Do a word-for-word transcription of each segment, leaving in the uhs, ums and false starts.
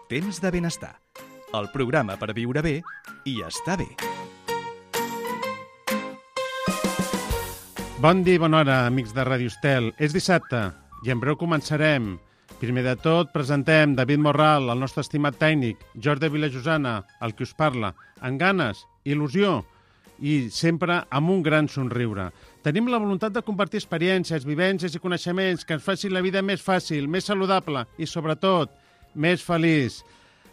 Temps de benestar, el programa per viure bé i estar bé. Bon dia i bona hora, amics de Ràdio Estel. És dissabte i en breu començarem. Primer de tot, presentem David Morral, el nostre estimat tècnic, Jordi Vilajosana, el que us parla, amb ganes, il·lusió i sempre amb un gran somriure. Tenim la voluntat de compartir experiències, vivències i coneixements que ens facin la vida més fàcil, més saludable i, sobretot, més feliç.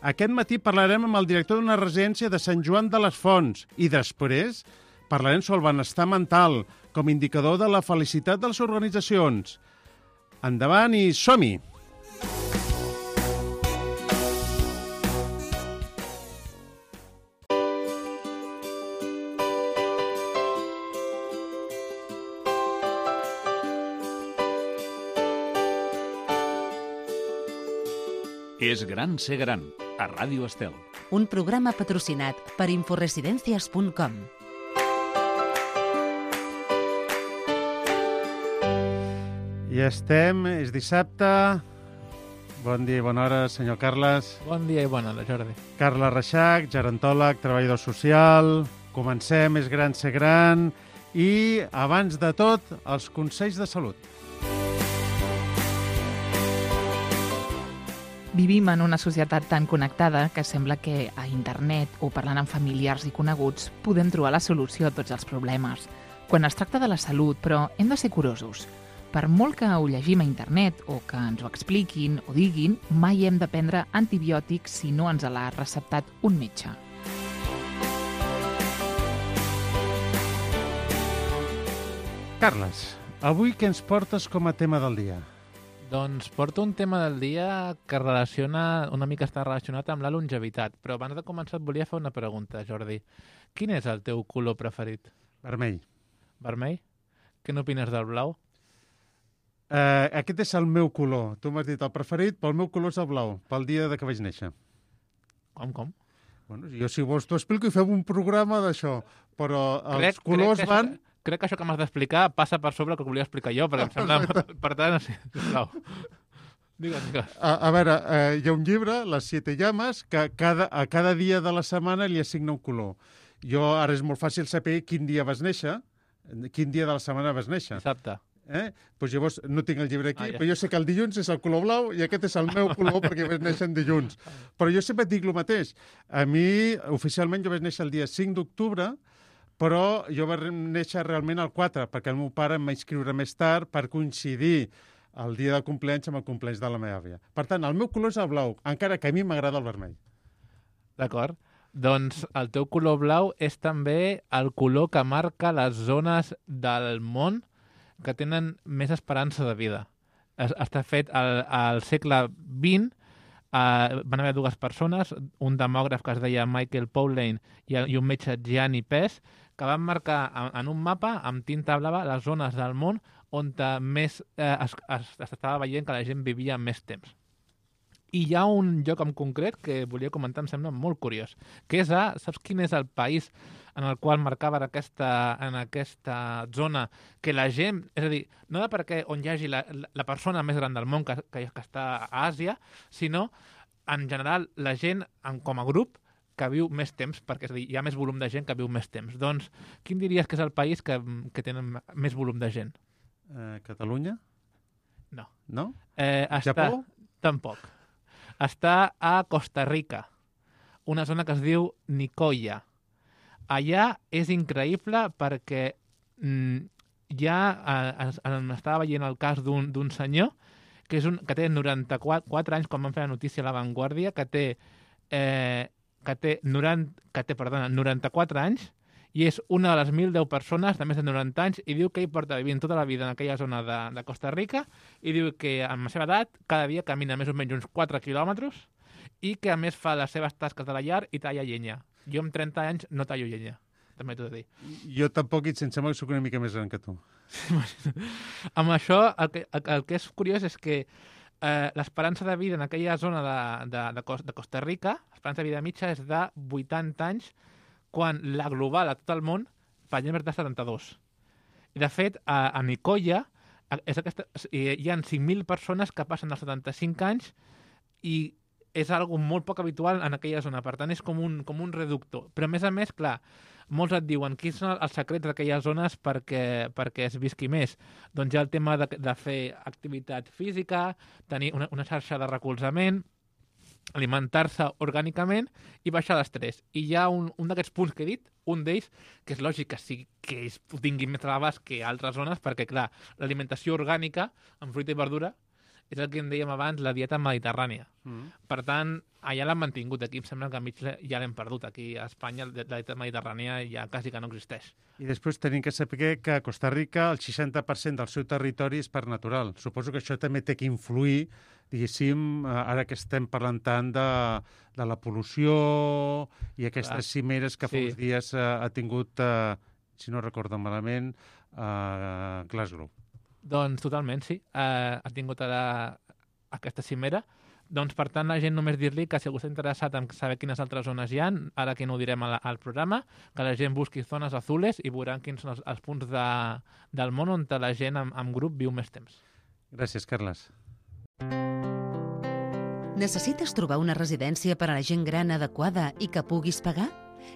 Aquest matí parlarem amb el director d'una residència de Sant Joan de les Fonts i després parlarem sobre el benestar mental com a indicador de la felicitat de les organitzacions. Endavant i som-hi! És gran ser gran, a Ràdio Estel. Un programa patrocinat per inforesidencias punt com. I estem, és dissabte. Bon dia i bona hora, senyor Carles. Bon dia i bona hora, Jordi. Carles Reixac, gerontòleg, treballador social. Comencem, és gran ser gran. I, abans de tot, els consells de salut. Vivim en una societat tan connectada que sembla que a internet o parlant amb familiars i coneguts podem trobar la solució a tots els problemes. Quan es tracta de la salut, però, hem de ser curosos. Per molt que ho llegim a internet o que ens ho expliquin o diguin, mai hem de prendre antibiòtics si no ens l'ha receptat un metge. Carles, avui què ens portes com a tema del dia? Doncs porto un tema del dia que relaciona, una mica està relacionat amb la longevitat, però abans de començar et volia fer una pregunta, Jordi. Quin és el teu color preferit? Vermell. Vermell? Què n'opines del blau? Uh, aquest és el meu color. Tu m'has dit el preferit, però el meu color és el blau, pel dia de que vaig néixer. Com, com? Bueno, jo, si vols, t'ho explico i fem un programa d'això, però els crec, colors crec van... Això, crec que això que m'has d'explicar passa per sobre el que volia explicar jo, perquè em sembla... per tant, sí, sisplau. Digues, digues. A, a veure, eh, hi ha un llibre, Les Siete Llames, que cada, a cada dia de la setmana li assigna un color. Jo ara és molt fàcil saber quin dia vas néixer, quin dia de la setmana vas néixer. Dissabte. Eh? Pues llavors no tinc el llibre aquí, ah, ja. però jo sé que el dilluns és el color blau i aquest és el meu color perquè vaig néixer en dilluns. Però jo sempre et dic el mateix. A mi, oficialment, jo vaig néixer el dia cinc d'octubre, però jo vaig néixer realment el quatre, perquè el meu pare em va inscriure més tard per coincidir el dia de compleanys amb el compleanys de la meva àvia. Per tant, el meu color és el blau, encara que a mi m'agrada el vermell. D'acord. Doncs el teu color blau és també el color que marca les zones del món que tenen més esperança de vida. Es, està fet al, al segle vint, uh, van haver dues persones, un demògraf que es deia Michael Pauline i, i un metge Gianni Pes, que van marcar en, en un mapa amb tinta blava les zones del món on més eh, es, es, es estava veient que la gent vivia més temps. I hi ha un lloc en concret que volia comentar, em sembla molt curiós, que és a, saps quin és el país en el qual marcava aquesta, en aquesta zona que la gent, és a dir, no de perquè on hi hagi la, la persona més gran del món que, que, que està a Àsia, sinó en general la gent en, com a grup que viu més temps, perquè és a dir, hi ha més volum de gent que viu més temps. Doncs, quin diries que és el país que, que tenen més volum de gent? Eh, Catalunya? No. No? Eh, està, Japó? Tampoc. Està a Costa Rica, una zona que es diu Nicoya. Allà és increïble perquè mm, ja eh, es, estava veient el cas d'un senyor que, és un, que té noranta-quatre anys, quan van fer la notícia a La Vanguardia, que té, eh, que té, noranta, que té perdona, noranta-quatre anys i és una de les mil deu persones de més de noranta anys i diu que ell porta vivint tota la vida en aquella zona de, de Costa Rica i diu que amb la seva edat cada dia camina més o menys uns quatre quilòmetres i que a més fa les seves tasques de la llar i talla llenya. Jo amb trenta anys no tallo llenya, també t'ho he de dir. Jo tampoc, i em sembla que soc una mica més gran que tu. Amb això, el que, el, el que és curiós és que eh, l'esperança de vida en aquella zona de, de, de, de Costa Rica, l'esperança de vida mitja és de vuitanta anys, quan la global a tot el món per exemple és de setanta-dos. I de fet, a, a Nicoya és aquesta, hi ha cinc mil persones que passen els setanta-cinc anys i és algo molt poc habitual en aquella zona, per tant és com un, com un reducto. Però a més a més, clar, molts et diuen quins són els secrets d'aquelles zones perquè, perquè es visqui més. Doncs hi ha el tema de, de fer activitat física, tenir una, una xarxa de recolzament, alimentar-se orgànicament i baixar l'estrès. I hi ha un, un d'aquests punts que he dit, un d'ells, que és lògic que, sí, que es tingui més a l'abast que altres zones, perquè, clar, l'alimentació orgànica, amb fruita i verdura, és el que en dèiem abans, la dieta mediterrània. Mm. Per tant, allà l'han mantingut. Aquí em sembla que a mig ja l'hem perdut. Aquí a Espanya la dieta mediterrània ja quasi que no existeix. I després tenim que saber que a Costa Rica el seixanta per cent del seu territori és parc natural. Suposo que això també té que influir, diguéssim, ara que estem parlant tant de, de la pol·lució i aquestes Clar. cimeres que fa sí. uns dies ha, ha tingut, eh, si no recordo malament, a Glasgow. Doncs totalment, sí. Uh, ha tingut ara aquesta cimera. Doncs, per tant, la gent només dir-li que si algú està interessat en saber quines altres zones hi ha, ara que no ho direm al, al programa, que la gent busqui zones azules i veuran quins són els, els punts de, del món on la gent en, en grup viu més temps. Gràcies, Carles. Necessites trobar una residència per a la gent gran adequada i que puguis pagar?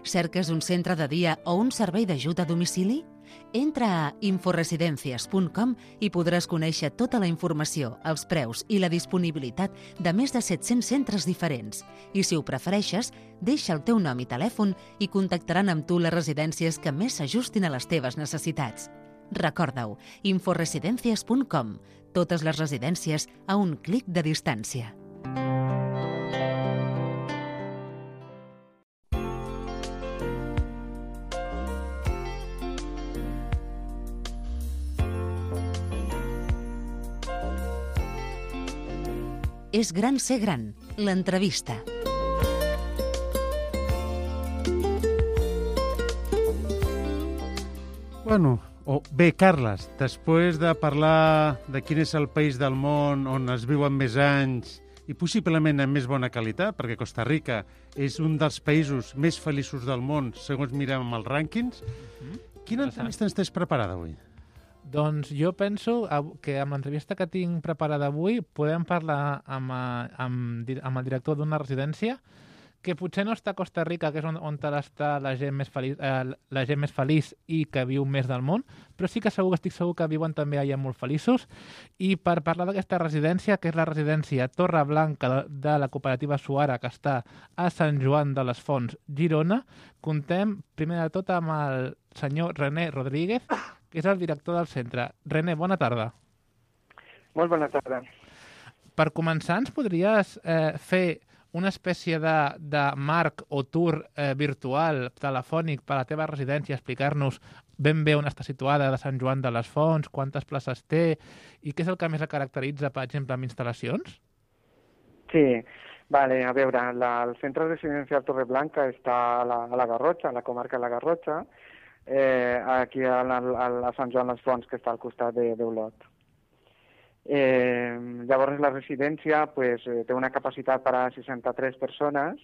Cerques un centre de dia o un servei d'ajut a domicili? Entra a inforesidencias punt com i podràs conèixer tota la informació, els preus i la disponibilitat de més de set-cents centres diferents. I si ho prefereixes, deixa el teu nom i telèfon i contactaran amb tu les residències que més s'ajustin a les teves necessitats. Recorda-ho, inforesidencias punt com. Totes les residències a un clic de distància. És gran ser gran, l'entrevista. Bueno, oh, bé, Carles, després de parlar de quin és el país del món on es viuen més anys i possiblement amb més bona qualitat, perquè Costa Rica és un dels països més feliços del món, segons mirem amb els rànquings, mm-hmm. Quina entrevista ens tens preparada avui? Doncs jo penso que amb l'entrevista que tinc preparada avui podem parlar amb, amb, amb el director d'una residència que potser no està a Costa Rica, que és on, on està la gent, més feliç, eh, la gent més feliç i que viu més del món, però sí que segur estic segur que viuen també allà molt feliços. I per parlar d'aquesta residència, que és la residència Torre Blanca de, de la cooperativa Suara, que està a Sant Joan de les Fonts, Girona, contem primer de tot amb el senyor René Rodríguez, que és el director del centre. René, bona tarda. Molt bona tarda. Per començar, ens podries eh, fer una espècie de, de marc o tour eh, virtual, telefònic, per a la teva residència, explicar-nos ben bé on està situada de Sant Joan de les Fonts, quantes places té i què és el que més la caracteritza, per exemple, amb instal·lacions? Sí, vale, a veure, la, el centre residencial Torreblanca està a la, a la Garrotxa, a la comarca de la Garrotxa, Eh, aquí a, a, a Sant Joan les Fonts, que està al costat d'Olot. Eh, llavors la residència pues, eh, té una capacitat per a seixanta-tres persones,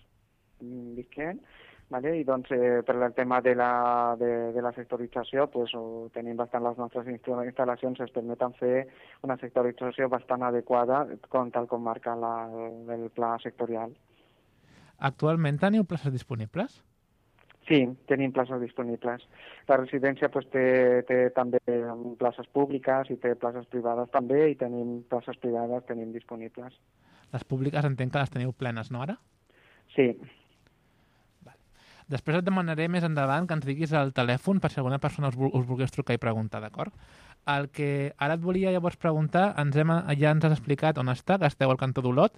visquent, vale? I doncs eh, per el tema de la, de, de la sectorització pues, ho tenim bastant les nostres instal·lacions, ens permeten fer una sectorització bastant adequada com tal com marca la, el pla sectorial. Actualment teniu places disponibles? Sí, tenim places disponibles. La residència pues, té, té també places públiques i té places privades també, i tenim places privades tenim disponibles. Les públiques entenc que les teniu plenes, no ara? Sí. Vale. Després et demanaré més endavant que ens diguis el telèfon per si alguna persona us, us volgués trucar i preguntar, d'acord? El que ara et volia llavors preguntar, ens hem, ja ens has explicat on està, que esteu al cantó d'Olot.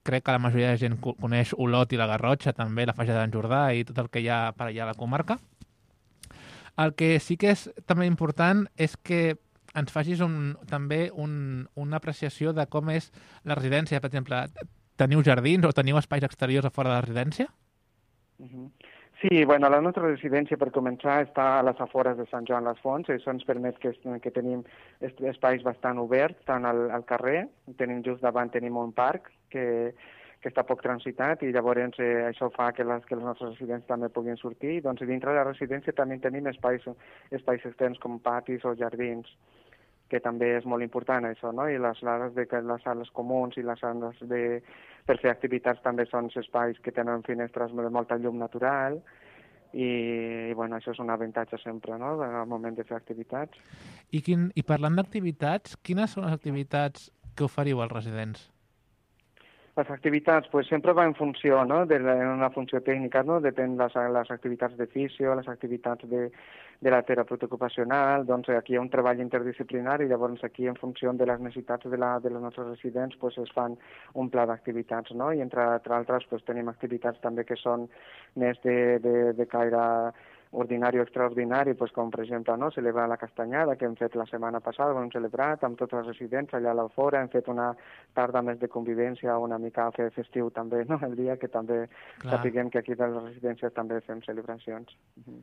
Crec que la majoria de gent coneix Olot i la Garrotxa, també la Faixa d'en Jordà i tot el que hi ha per allà a la comarca. El que sí que és també important és que ens facis un, també un, una apreciació de com és la residència. Per exemple, teniu jardins o teniu espais exteriors a fora de la residència? Uh-huh. Sí, bueno, la nostra residència, per començar, està a les afores de Sant Joan les Fonts. Això ens permet que, que tenim espais bastant oberts, tant al, al carrer, tenim just davant tenim un parc que, que està poc transitat i llavors eh, això fa que les, que les nostres residents també puguin sortir. Doncs dintre de la residència també tenim espais, espais externs com patis o jardins. que també és molt important això, no? I les sales, de, les sales comuns i les sales de, per fer activitats també són espais que tenen finestres de molta llum natural i, i bueno, això és un avantatge sempre, no?, al moment de fer activitats. I, quin, i parlant d'activitats, quines són les activitats que oferiu als residents? Les activitats, pues, sempre va en funció, no?, de la, en una funció tècnica, no?, depèn les, les activitats de fisio, les activitats de, de la terapeuta ocupacional, doncs aquí hi ha un treball interdisciplinari, llavors aquí en funció de les necessitats de, la, de les nostres residents pues, es fan un pla d'activitats, no?, i entre, entre altres pues, tenim activitats també que són més de, de, de caire ordinari o extraordinari, pues, com per exemple no, celebrar la castanyada que hem fet la setmana passada, ho hem celebrat amb tots els residents allà a l'Alfora, hem fet una tarda més de convivència, una mica fer festiu també, no? El dia que també Clar. sapiguem que aquí de les residències també fem celebracions. Uh-huh.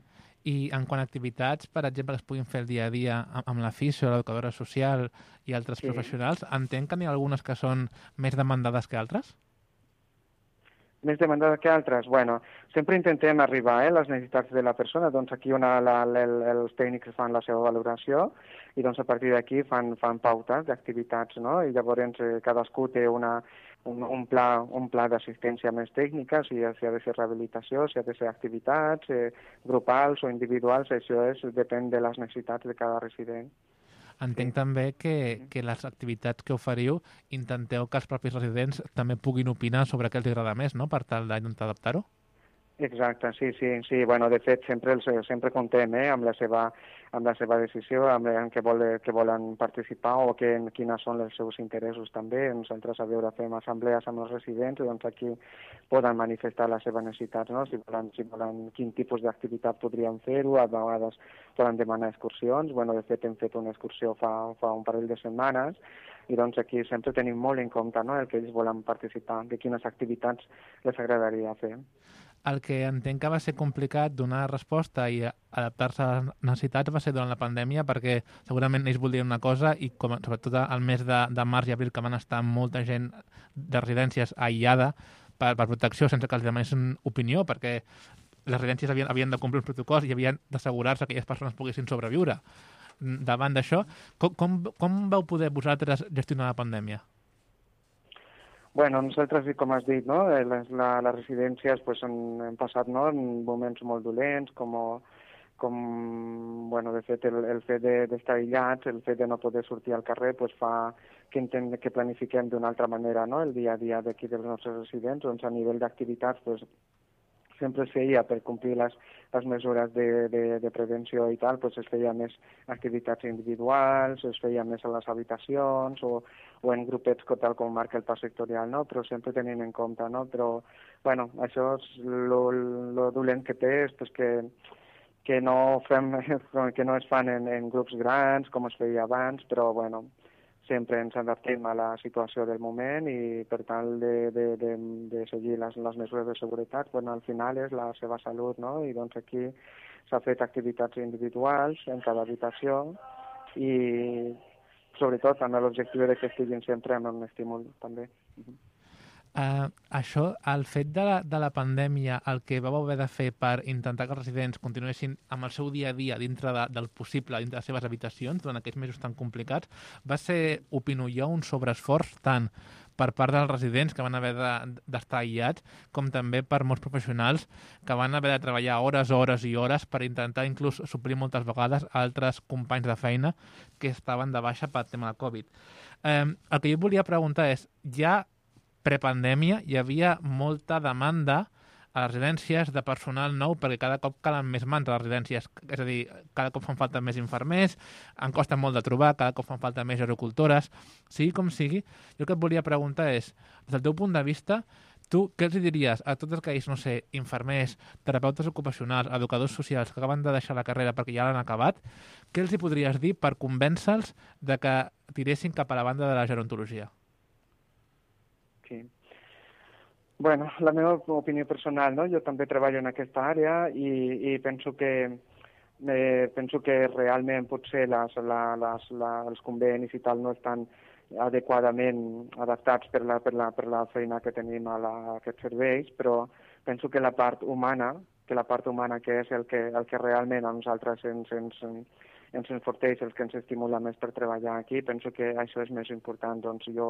I en quant a activitats, per exemple, que es puguin fer el dia a dia amb la fisio, l'educadora social i altres sí. professionals, entenc que n'hi ha algunes que són més demandades que altres? Més demandada que altres? Bueno, sempre intentem arribar eh, a les necessitats de la persona. Doncs aquí una, la, el, els tècnics fan la seva valoració i doncs a partir d'aquí fan, fan pautes d'activitats, no? I llavors eh, cadascú té una, un, un pla, un pla d'assistència més tècnica, si, si ha de ser rehabilitació, si ha de ser activitats eh, grupals o individuals, això és, depèn de les necessitats de cada resident. Entenc sí. també que, que les activitats que oferiu intenteu que els propis residents també puguin opinar sobre què els agrada més, no?, per tal d'intentar adaptar-ho? Exacte, sí, sí, sí. Bueno, de fet, sempre, els, sempre contem eh, amb, la seva, amb la seva decisió, amb, amb què, vol, que volen participar o que, quines són els seus interessos també. Nosaltres a veure fem assemblees amb els residents, doncs aquí poden manifestar les seves necessitats, no? Si volen, si volen quin tipus d'activitat podrien fer-ho, a vegades poden demanar excursions. Bueno, de fet, hem fet una excursió fa, fa un parell de setmanes i doncs aquí sempre tenim molt en compte, no?, el que ells volen participar, de quines activitats les agradaria fer. El que entenc que va ser complicat donar resposta i adaptar-se a les necessitats va ser durant la pandèmia, perquè segurament ells voldrien una cosa i com, sobretot al mes de, de març i abril, que van estar molta gent de residències aïllada per, per protecció sense que els demanessin opinió, perquè les residències havien, havien de complir uns protocols i havien d'assegurar-se que aquelles persones poguessin sobreviure. Davant d'això, com, com, com vau poder vosaltres gestionar la pandèmia? Bueno, nosaltres, com has dit, no? les, la, les residències pues, han, han passat no? en moments molt dolents, com, com bueno, de fet, el, el fet d'estar de, aïllats, el fet de no poder sortir al carrer, pues, fa que, intent, que planifiquem d'una altra manera no? el dia a dia d'aquí dels nostres residents. Doncs a nivell d'activitats, pues, sempre es feia per complir les, les mesures de, de, de prevenció i tal, pues es feia més activitats individuals, es feia més a les habitacions o, o en grupets tal com marca el pas sectorial, no? Però sempre tenint en compte, no? Però, bueno, això és lo, lo dolent que té, és pues, que, que, no fem, que no es fan en, en grups grans com es feia abans, però, bueno, sempre ens adaptem a la situació del moment i per tal de, de, de, de seguir les, les mesures de seguretat, bueno, al final és la seva salut, no? I doncs aquí s'ha fet activitats individuals en cada habitació i sobretot amb l'objectiu de que estiguin sempre amb un estímul també. Uh, això, el fet de la, de la pandèmia, el que vau haver de fer per intentar que els residents continuessin amb el seu dia a dia dintre de, del possible, dintre de les seves habitacions, durant aquests mesos tan complicats, va ser, opino jo, un sobreesforç tant per part dels residents que van haver d'estar de, aïllats, com també per molts professionals que van haver de treballar hores, hores i hores per intentar inclús suplir moltes vegades altres companys de feina que estaven de baixa per tema del Covid. Eh, el que jo volia preguntar és, ja prepandèmia hi havia molta demanda a les residències de personal nou perquè cada cop calen més mans a les residències. És a dir, cada cop fan falta més infermers, en costa molt de trobar, cada cop fan falta més gerocultores. Sigui com sigui, jo el que et volia preguntar és, des del teu punt de vista, tu què els diries a tots aquells, no sé, infermers, terapeutes ocupacionals, educadors socials que acaben de deixar la carrera perquè ja l'han acabat, què els hi podries dir per convèncer-los de que tiressin cap a la banda de la gerontologia? Sí. Bueno, la meva opinió personal, no? Jo també treballo en aquesta àrea i, i penso que eh, penso que realment potser les, la, les, la, els convenis i tal no estan adequadament adaptats per la, per la, per la feina que tenim a, la, a aquests serveis, però penso que la part humana, que la part humana que és el que, el que realment a nosaltres ens, ens, ens enforteix, el que ens estimula més per treballar aquí. Penso que això és més important. Doncs jo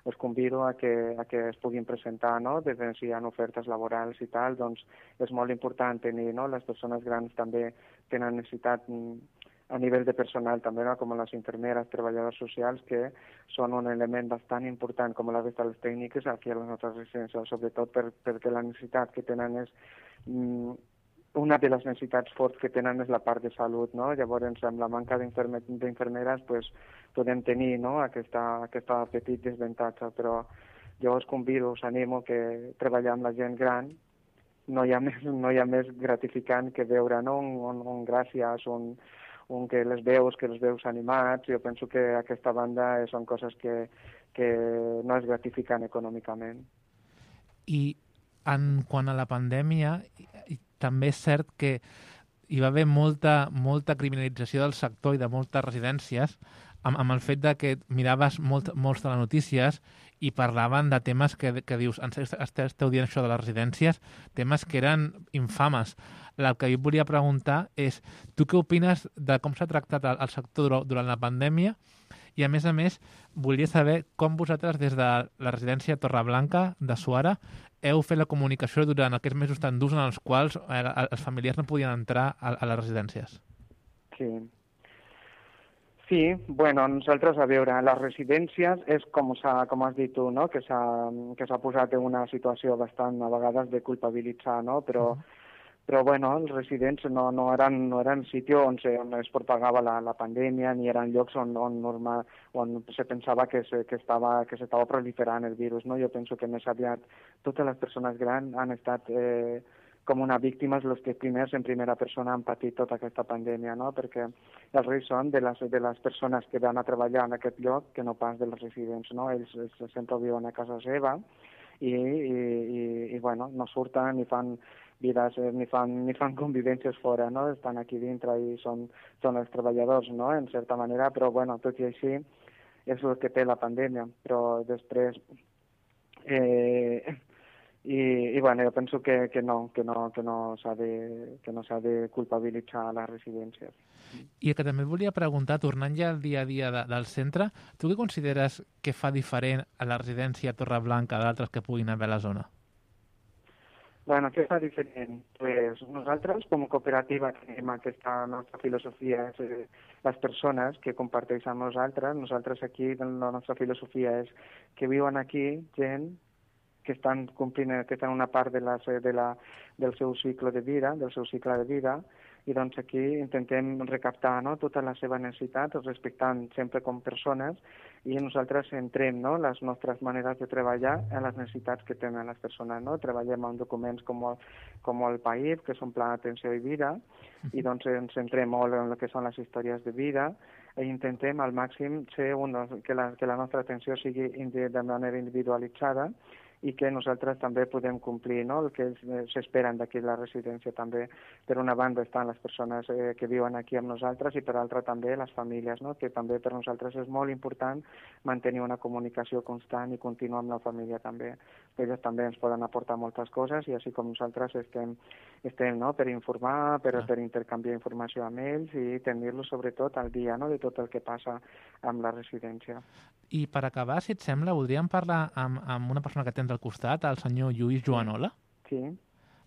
us convido a que, a que es puguin presentar, no? Des de si hi ha ofertes laborals i tal, doncs és molt important tenir, no? Les persones grans també tenen necessitat a nivell de personal també, no? Com les infermeres, treballadors socials, que són un element bastant important, com la resta de les tècniques, aquí a les nostres residències, sobretot per, perquè la necessitat que tenen és... Mm, una de les necessitats forts que tenen és la part de salut, no? Llavors, amb la manca d'infermeres, pues, podem tenir, no? aquesta, aquesta petit desavantatge, però jo us convido, us animo que treballar amb la gent gran no hi ha més, no hi ha més gratificant que veure, no? Un, un, un gràcies, un, un que les veus, que els veus animats. Jo penso que aquesta banda són coses que, que no és gratificant econòmicament. I en quant a la pandèmia, també és cert que hi va haver molta, molta criminalització del sector i de moltes residències amb, amb el fet de que miraves molt, molts telenotícies i parlaven de temes que, que dius, esteu dient això de les residències, temes que eren infames. El que jo volia preguntar és, tu què opines de com s'ha tractat el, el sector durant la pandèmia? I, a més a més, volia saber com vosaltres, des de la residència Torreblanca de Suara, heu fet la comunicació durant aquests mesos tan durs en els quals eh, els familiars no podien entrar a, a les residències. Sí. Sí, bueno, nosaltres, a veure, les residències és com, com has dit tu, no? Que s'ha posat en una situació bastant, a vegades, de culpabilitzar, no? Però... Uh-huh. Però, bueno, els residents no, no eren, no eren sitio on, se, on es propagava la, la pandèmia, ni eren llocs on, on, normal, on se pensava que, se, que, estava, que s'estava proliferant el virus, no? Jo penso que més aviat totes les persones grans han estat eh, com una víctima, els que primers en primera persona han patit tota aquesta pandèmia, no? Perquè els reis són de les, de les persones que van a treballar en aquest lloc que no pas dels residents, no? Ells, ells sempre viuen a casa seva i, i, i, i bueno, no surten ni fan vides, ni fan, ni fan convivències fora, no? Estan aquí dintre i són, són els treballadors, no? En certa manera, però, bueno, tot i així és el que té la pandèmia, però després eh, i, i bueno, jo penso que, que no, que no, que no s'ha de, que no s'ha de culpabilitzar a les residències. I que també et volia preguntar, tornant ja al dia a dia de, del centre, tu què consideres que fa diferent a la residència Torreblanca d'altres que puguin haver a la zona? Bueno, què fa diferent? Pues nosaltres, com a cooperativa, tenim aquesta nostra filosofia, és eh, les persones que comparteixen amb nosaltres. Nosaltres aquí, la nostra filosofia és que viuen aquí gent que estan complint, que estan una part de la, de la, del seu cicle de vida, del seu cicle de vida, i doncs aquí intentem recaptar, no?, totes les seves necessitats, respectant sempre com persones, i nosaltres centrem, no?, les nostres maneres de treballar en les necessitats que tenen les persones, no? Treballem amb documents com el, com el P A I F, que són Pla d'Atenció i Vida, i doncs ens centrem molt en el que són les històries de vida, i intentem al màxim ser un, que, la, que la nostra atenció sigui de manera individualitzada, i que nosaltres també podem complir, no?, el que s'esperen d'aquí la residència també. Per una banda estan les persones eh, que viuen aquí amb nosaltres i per altra també les famílies, no?, que també per nosaltres és molt important mantenir una comunicació constant i contínua amb la família també. Ells també ens poden aportar moltes coses i així com nosaltres estem, estem no?, per informar, per, per intercanviar informació amb ells i tenir-los sobretot al dia, no?, de tot el que passa amb la residència. I per acabar, si et sembla, voldríem parlar amb, amb una persona que tens al costat, el senyor Lluís Joanola. Sí.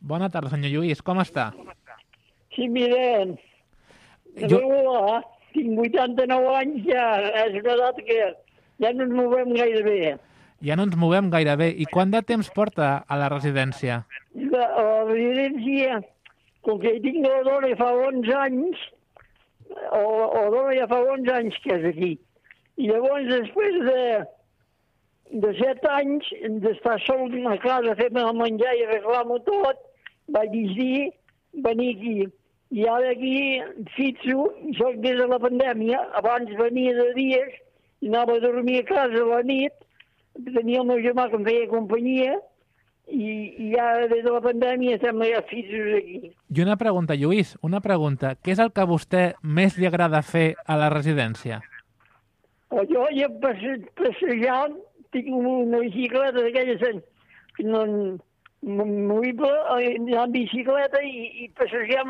Bona tarda, senyor Lluís, com està? Sí, mira, jo... hola, tinc vuitanta-nou anys, ja és una edat que ja no ens movem gaire bé. Ja no ens movem gaire bé. I quant de temps porta a la residència? La, a la residència, com que tinc la dona ja fa onze anys, o la dona ja fa onze anys que és aquí. I llavors, després de, de set anys d'estar sol a casa, fer-me el menjar i arreglar-m'ho tot, vaig decidir venir aquí. I ara aquí fixo, soc des de la pandèmia, abans venia de dies, i anava a dormir a casa a la nit, tenia el meu germà que em feia companyia, i, i ara des de la pandèmia estem ja fixos aquí. I una pregunta, Lluís, una pregunta. Què és el que a vostè més li agrada fer a la residència? Jo ja passejant, tinc una bicicleta d'aquelles no, movible, anar en bicicleta i, i passejar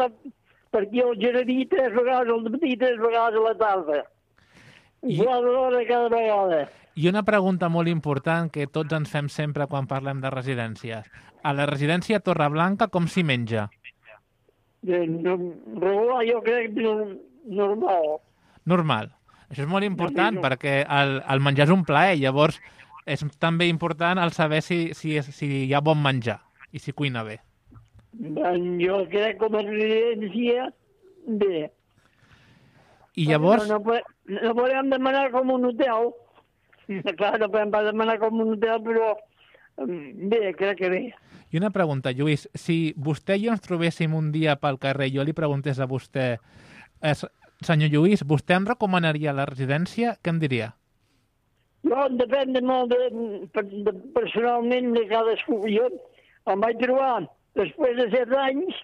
per aquí al jardí tres vegades al matí i tres vegades a la tarda. I- Quatre hores cada vegada. I una pregunta molt important que tots ens fem sempre quan parlem de residències. A la residència Torreblanca com s'hi menja? Eh, no, regular, jo crec que no, normal. Normal. Això és molt important No, no. perquè el, el menjar és un plaer, llavors és també important el saber si, si, és, si hi ha bon menjar i si cuina bé. Ben, jo crec com a residència, bé. I llavors, No, no, po- no podem demanar com un hotel. Clar, no podem pas demanar com un hotel, però mm, bé, crec que bé. i una pregunta, Lluís, si vostè i jo ens trobéssim un dia pel carrer i jo li preguntés a vostè, es, senyor Lluís, vostè em recomanaria la residència? Què em diria? No, depèn de molt de, de, personalment de cadascú. Jo em vaig trobar, després de set anys,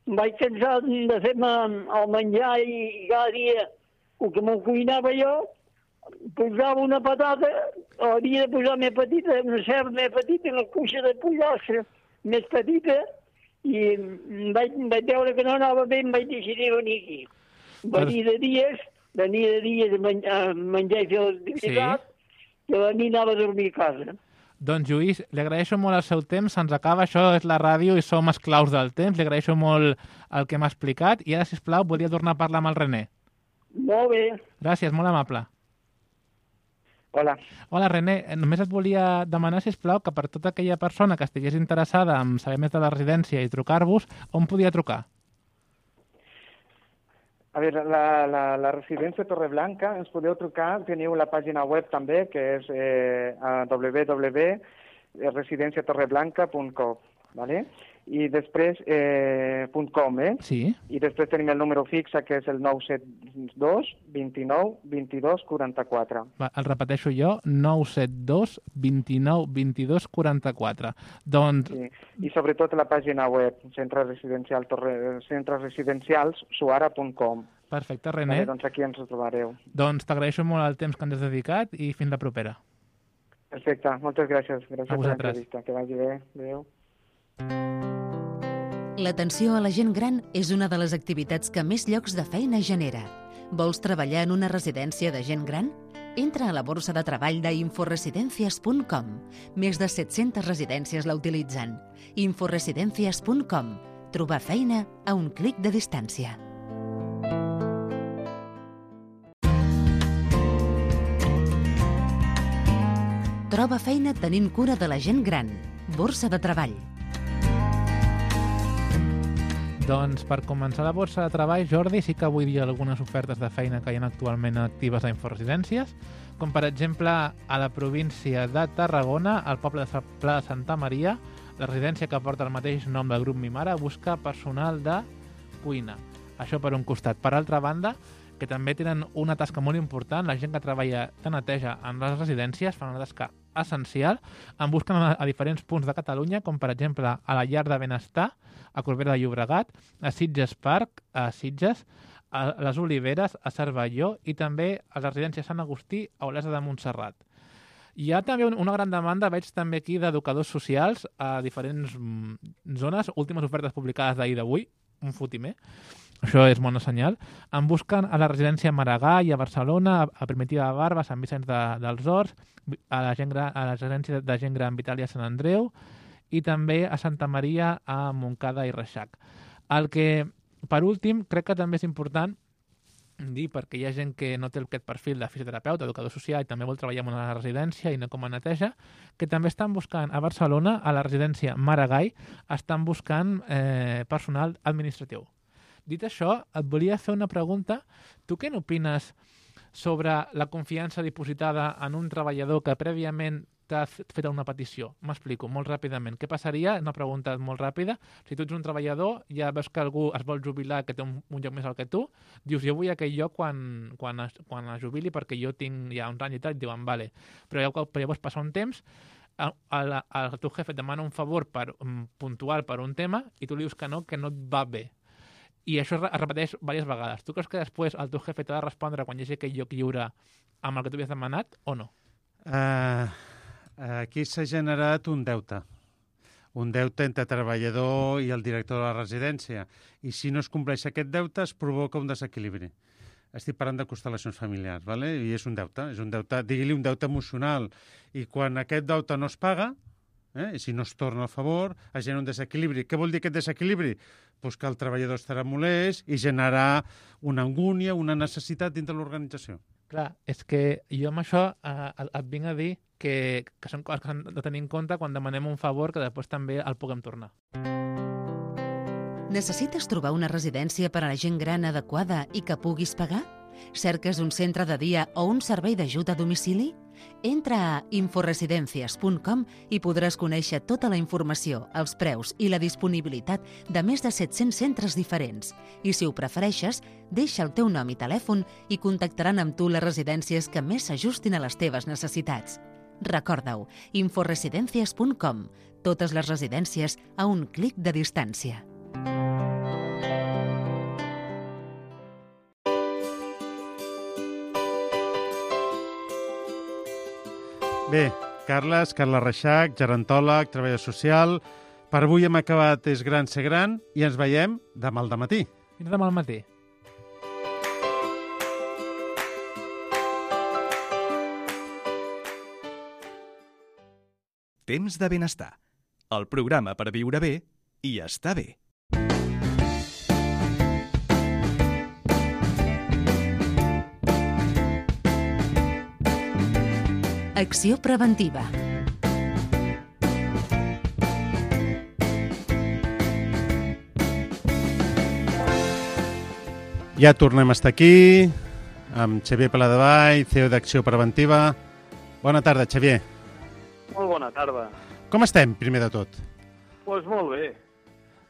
em vaig cansar de fer-me el menjar i cada dia el que m'ho cuinava jo, posava una patata, havia de posar més petita, una cerda més petita, una cuixa de pollastre més petita, i em vaig, em vaig veure que no anava bé, em vaig decidir venir aquí. Venir de dies, venir de dies a menjar, a menjar i fer l'activitat, sí. I a mi anava a dormir a casa. Doncs, Lluís, li agraeixo molt el seu temps, se'ns acaba, això és la ràdio i som esclaus del temps, li agraeixo molt el que m'ha explicat i ara, sisplau, volia tornar a parlar amb el René. Molt bé. Gràcies, molt amable. Hola. Hola, René, només et volia demanar, sisplau, que per tota aquella persona que estigués interessada en saber més de la residència i trucar-vos, on podia trucar? A veure, la, la, la residència Torreblanca, ens podeu trucar, teniu la pàgina web també, que és eh, w w w punt residència torreblanca punt com, ¿vale? I després, eh, .com, eh? Sí. I després tenim el número fixe, que és el nou set dos, vint-i-nou, vint-i-dos, quaranta-quatre. Va, el repeteixo jo, nou set dos, vint-i-nou, vint-i-dos, quaranta-quatre. Doncs, Sí. I sobretot la pàgina web, centre residencial, torre, centres residencials, suara punt com. perfecte, René. Vale, doncs aquí ens ho trobareu. Doncs t'agraeixo molt el temps que ens has dedicat i fins la propera. Perfecte, moltes gràcies. Gràcies A per vosaltres. l'entrevista. Que vagi bé. Adéu. L'atenció a la gent gran és una de les activitats que més llocs de feina genera. Vols treballar en una residència de gent gran? Entra a la borsa de treball d'inforesidencias punt com. Més de set-centes residències la utilitzen. inforesidencias punt com. Trobar feina a un clic de distància. Troba feina tenint cura de la gent gran. Borsa de treball. Doncs per començar la borsa de treball, Jordi, sí que vull dir algunes ofertes de feina que hi ha actualment actives a Inforesidències, com per exemple a la província de Tarragona, al poble de Pla de Santa Maria, la residència que porta el mateix nom del grup Mimara busca personal de cuina. Això per un costat. Per altra banda, que també tenen una tasca molt important, la gent que treballa de neteja en les residències fan una tasca essencial, en busquen a, a diferents punts de Catalunya, com per exemple a la Llar de Benestar, a Corbera de Llobregat, a Sitges Park, a Sitges, a les Oliveres, a Cervelló i també a la residència Sant Agustí, a Olesa de Montserrat. Hi ha també una gran demanda, veig també aquí, d'educadors socials a diferents zones, últimes ofertes publicades d'ahir d'avui, un fotimer, això és bona senyal. En busquen a la residència Maragall i a Barcelona, a Primitiva de Barba, a Sant Vicenç de, dels Horts, a la, gent gran, a la residència de gent gran Vitàlia Sant Andreu i també a Santa Maria, a Montcada i Reixac. El que, per últim, crec que també és important dir, perquè hi ha gent que no té aquest perfil de fisioterapeuta, educador social i també vol treballar en una residència i no com a neteja, que també estan buscant a Barcelona, a la residència Maragall, estan buscant eh, personal administratiu. Dit això, et volia fer una pregunta. Tu què n'opines sobre la confiança dipositada en un treballador que prèviament t'ha fet una petició? M'explico molt ràpidament. Què passaria? Una pregunta molt ràpida. Si tu ets un treballador, ja veus que algú es vol jubilar, que té un, un lloc més alt que tu, dius, jo vull aquell lloc quan, quan, es, quan es jubili perquè jo tinc ja uns anys i tal, i et diuen, vale. Però llavors passa un temps, el, el, el teu jefe et demana un favor per, um, puntual per un tema i tu li dius que no, que no et va bé. I això es repeteix diverses vegades. Tu creus que després el teu jefe t'ha de respondre quan hi hagi aquell lloc lliure amb el que tu havies demanat o no? Uh, aquí s'ha generat un deute. un deute entre treballador i el director de la residència. I si no es compleix aquest deute, es provoca un desequilibri. Estic parlant de constel·lacions familiars, ¿vale? I és un deute, és un deute, digui-li un deute emocional. I quan aquest deute no es paga, eh, i si no es torna a favor, es genera un desequilibri. Què vol dir aquest desequilibri? Pues que el treballador estarà molest i generarà una angúnia, una necessitat dintre l'organització. Clar, és que jo amb això eh, et vinc a dir que, que són coses que s'han de tenir en compte quan demanem un favor que després també el puguem tornar. Necessites trobar una residència per a la gent gran adequada i que puguis pagar? Cerques un centre de dia o un servei d'ajut a domicili? Entra a inforesidencias punt com i podràs conèixer tota la informació, els preus i la disponibilitat de més de set-cents centres diferents. I si ho prefereixes, deixa el teu nom i telèfon i contactaran amb tu les residències que més s'ajustin a les teves necessitats. Recorda-ho, inforesidencias punt com. Totes les residències a un clic de distància. Bé, Carles, Carles Reixac, gerontòleg, treballador social. Per avui hem acabat És gran ser gran i ens veiem demà al dematí. Fins demà al matí. Temps de benestar. El programa per viure bé i estar bé. Acció preventiva. Ja tornem a estar aquí amb Xavier Paladevall, C E O d'Acció Preventiva. Bona tarda, Xavier. Molt bona tarda. Com estem, primer de tot? Doncs pues molt bé.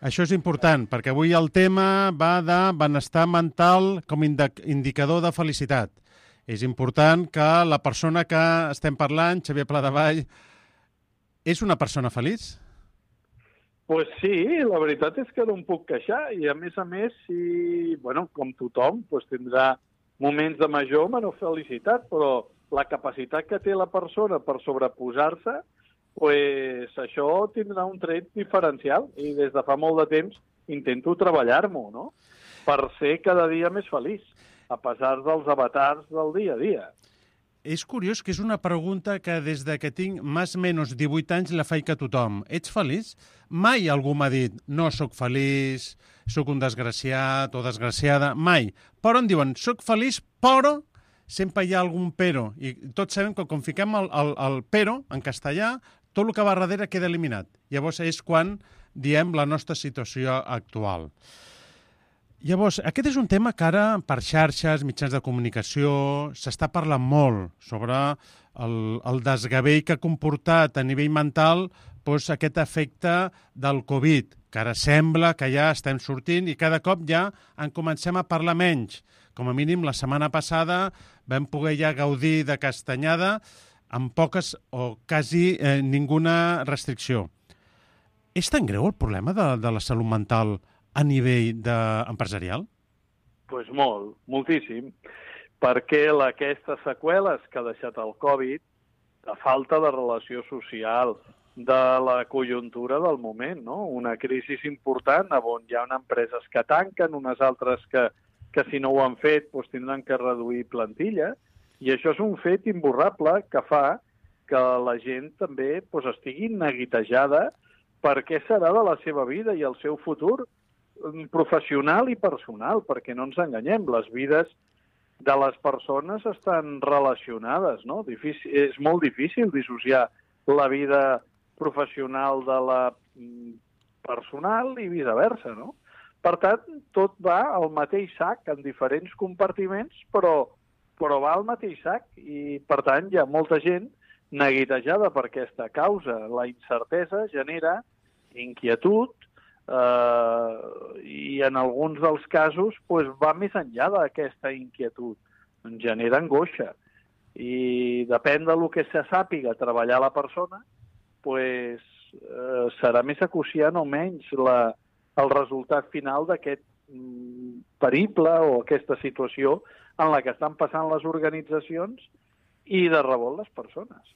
Això és important, perquè avui el tema va de benestar mental com indicador de felicitat. És important que la persona que estem parlant, Xavier Paladevall, és una persona feliç? Doncs pues sí, la veritat és que no em puc queixar i a més a més, si, bueno, com tothom, pues tindrà moments de major o menor felicitat, però la capacitat que té la persona per sobreposar-se, pues això tindrà un tret diferencial i des de fa molt de temps intento treballar-m'ho, no? Per ser cada dia més feliç, a pesar dels avatars del dia a dia. És curiós que és una pregunta que des de que tinc més o menys divuit anys la faig a tothom. Ets feliç? Mai algú m'ha dit no sóc feliç, sóc un desgraciat o desgraciada, mai. Però em diuen sóc feliç, però sempre hi ha algun però. I tots sabem que quan fiquem el, el, el però en castellà, tot el que va darrere queda eliminat. Llavors és quan diem la nostra situació actual. Llavors, aquest és un tema que ara per xarxes, mitjans de comunicació, s'està parlant molt sobre el, el desgavell que ha comportat a nivell mental doncs, aquest efecte del Covid, que ara sembla que ja estem sortint i cada cop ja en comencem a parlar menys. Com a mínim, la setmana passada vam poder ja gaudir de castanyada amb poques o quasi eh, ninguna restricció. És tan greu el problema de, de la salut mental a nivell de... empresarial? Doncs pues molt, moltíssim, perquè la, aquestes seqüeles que ha deixat el Covid, de falta de relació social, de la conjuntura del moment, no? Una crisi important on hi ha empreses que tanquen, unes altres que, que si no ho han fet doncs tindran que reduir plantilla, i això és un fet imborrable que fa que la gent també doncs, estigui neguitejada per què serà de la seva vida i el seu futur professional i personal, perquè no ens enganyem, les vides de les persones estan relacionades, no? Difícil, és molt difícil dissociar la vida professional de la personal i viceversa, no? Per tant, tot va al mateix sac, en diferents compartiments, però, però va al mateix sac i, per tant, hi ha molta gent neguitejada per aquesta causa. La incertesa genera inquietud, Uh, i en alguns dels casos pues, va més enllà d'aquesta inquietud, ens genera angoixa i depèn del que se sàpiga treballar la persona pues, uh, serà més acuciant o menys la, el resultat final d'aquest mm, periple o aquesta situació en la que estan passant les organitzacions i de rebot les persones.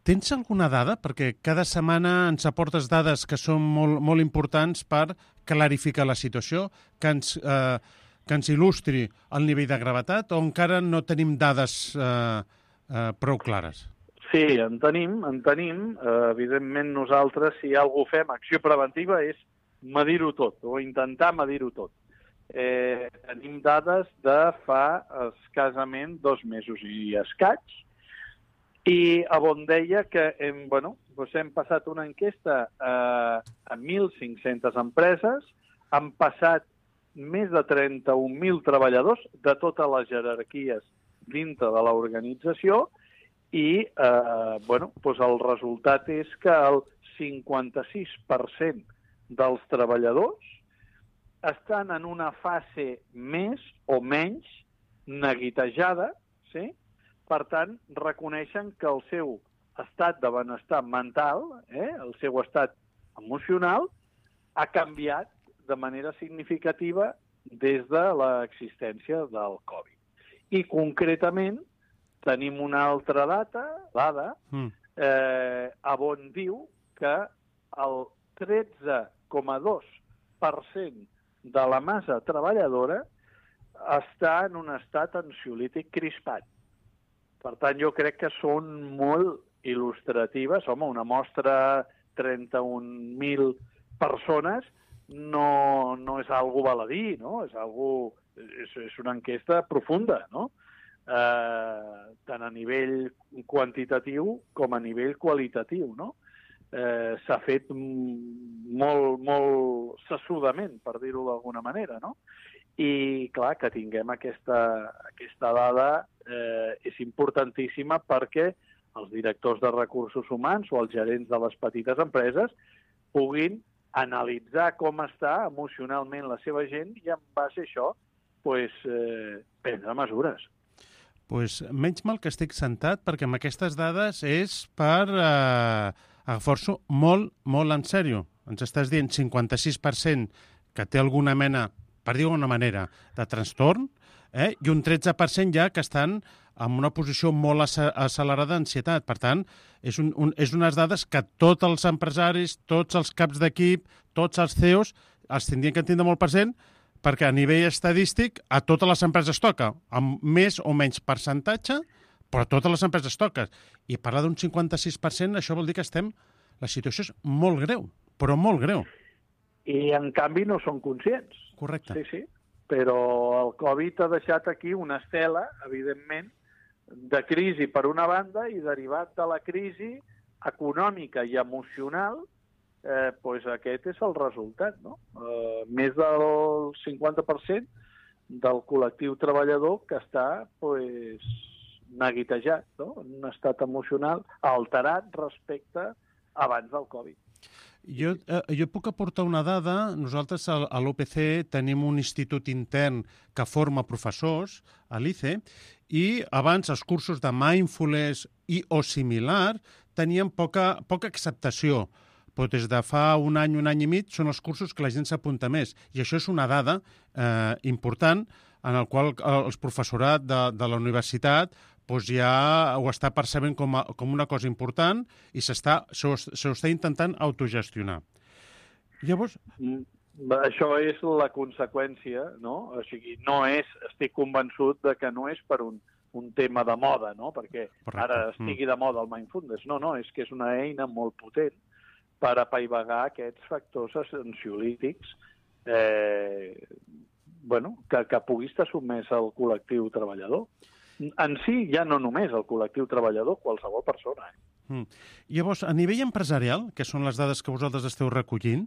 tens alguna dada? Perquè cada setmana ens aportes dades que són molt, molt importants per clarificar la situació, que ens, eh, que ens il·lustri el nivell de gravetat, o encara no tenim dades eh, eh, prou clares? Sí, en tenim, en tenim. Eh, evidentment nosaltres, si algú fem acció preventiva, és medir-ho tot, o intentar medir-ho tot. Eh, tenim dades de fa escassament dos mesos i escaig, i on deia que hem, bueno, doncs hem passat una enquesta eh, a mil cinc-centes empreses, han passat més de trenta-un mil treballadors de totes les jerarquies dintre de l'organització i eh, bueno, doncs el resultat és que el cinquanta-sis per cent dels treballadors estan en una fase més o menys neguitejada, sí? Per tant, reconeixen que el seu estat de benestar mental, eh, el seu estat emocional, ha canviat de manera significativa des de l'existència del Covid. I concretament tenim una altra data, dada, mm. eh, on diu que el tretze coma dos per cent de la massa treballadora està en un estat ansiolític crispat. Per tant, jo crec que són molt il·lustratives. Home, una mostra trenta-un mil persones no, no és algo baladí, no? És, algo, és, és una enquesta profunda, no? Eh, tant a nivell quantitatiu com a nivell qualitatiu, no? Eh, s'ha fet molt, molt sessudament, per dir-ho d'alguna manera, no? I, clar, que tinguem aquesta, aquesta dada eh, és importantíssima perquè els directors de recursos humans o els gerents de les petites empreses puguin analitzar com està emocionalment la seva gent i en base a això pues, eh, prendre mesures. Pues menys mal que estic sentat perquè amb aquestes dades és per eh, agafar-s'ho molt, molt en sèrio. Ens estàs dient cinquanta-sis per cent que té alguna mena, per dir-ho d'una manera, de trastorn, eh? I un tretze per cent ja que estan en una posició molt accelerada d'ansietat. Per tant, és, un, un, és unes dades que tots els empresaris, tots els caps d'equip, tots els C E Os els tindrien que entendre molt present perquè a nivell estadístic a totes les empreses toca, amb més o menys percentatge, però a totes les empreses toca. I parlar d'un cinquanta-sis per cent, això vol dir que estem... La situació és molt greu, però molt greu. I, en canvi, no són conscients. Correcte. Sí, sí. Però el Covid ha deixat aquí una estela, evidentment, de crisi per una banda i derivat de la crisi econòmica i emocional, eh, pues aquest és el resultat, no? Eh, més del cinquanta per cent del col·lectiu treballador que està pues, neguitejat, no? En un estat emocional alterat respecte abans del Covid. Jo, eh, jo puc aportar una dada. Nosaltres a, a l'O P C tenim un institut intern que forma professors, a l'I C E, i abans els cursos de mindfulness i o similar tenien poca, poca acceptació. Però des de fa un any, un any i mig, són els cursos que la gent s'apunta més. I això és una dada eh, important en el qual el professorat de, de la universitat doncs ja ho està percebent com, a, com una cosa important i s'està s'ho intentant autogestionar. Llavors... Això és la conseqüència, no? O sigui, no és, estic convençut de que no és per un, un tema de moda, no? Perquè correcte. Ara estigui de moda el mindfulness. No, no, és que és una eina molt potent per apaivagar aquests factors ansiolítics eh, bueno, que, que pugui estar sotmès al col·lectiu treballador. En si, ja no només el col·lectiu treballador, qualsevol persona. Eh? Mm. Llavors, a nivell empresarial, que són les dades que vosaltres esteu recollint,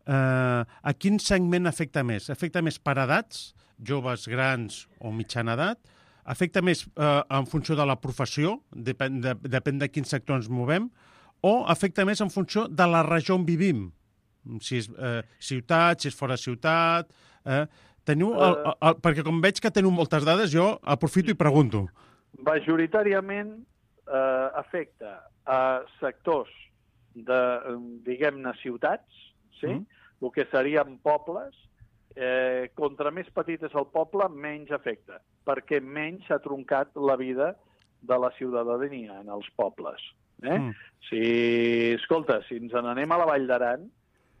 eh, a quin segment afecta més? Afecta més per edats, joves, grans o mitjana edat? Afecta més eh, en funció de la professió, depèn de, depèn de quin sector ens movem, o afecta més en funció de la regió on vivim? Si és eh, ciutat, si és fora ciutat... Eh, Teniu el, el, el, perquè com veig que teniu moltes dades, jo aprofito i pregunto. Majoritàriament eh, afecta a sectors de, diguem-ne, ciutats, sí? Mm. El que serien pobles. Eh, contra més petit és el poble, menys afecta, perquè menys s'ha troncat la vida de la ciutadania en els pobles. Eh? Mm. Si, escolta, si ens n'anem a la Vall d'Aran,